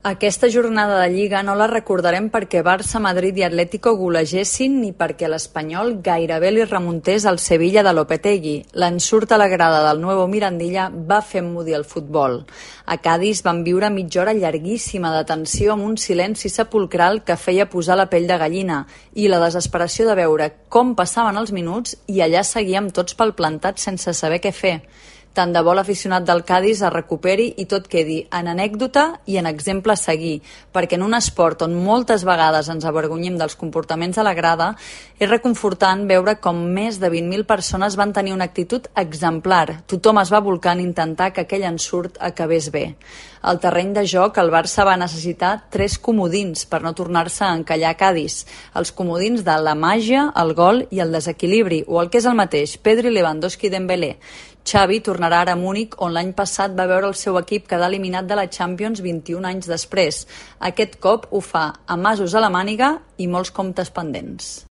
Aquesta jornada de Lliga no la recordarem perquè Barça, Madrid i Atlético golegessin ni perquè l'Espanyol gairebé li remuntés al Sevilla de Lopetegui. L'ensurt a la grada del Nuevo Mirandilla va fer emmudir el futbol. A Cadis van viure mitja hora llarguíssima de tensió amb un silenci sepulcral que feia posar la pell de gallina i la desesperació de veure com passaven els minuts i allà seguíem tots palplantats sense saber què fer. Tant de bo l'aficionat del Cadis es recuperi i tot quedi en anècdota i en exemple a seguir, perquè en un esport on moltes vegades ens avergonyim dels comportaments a la grada, és reconfortant veure com més de 20.000 persones van tenir una actitud exemplar. Tothom es va volcar en intentar que aquell ensurt acabés bé. Al terreny de joc, el Barça va necessitar 3 comodins per no tornar-se a encallar a Cadis. Els comodins de la màgia, el gol i el desequilibri, o el que és el mateix, Pedri, Lewandowski i Dembélé. Xavi tornarà ara a Múnich, on l'any passat va veure el seu equip quedar eliminat de la Champions 21 anys després. Aquest cop ho fa amb asos a la màniga i molts comptes pendents.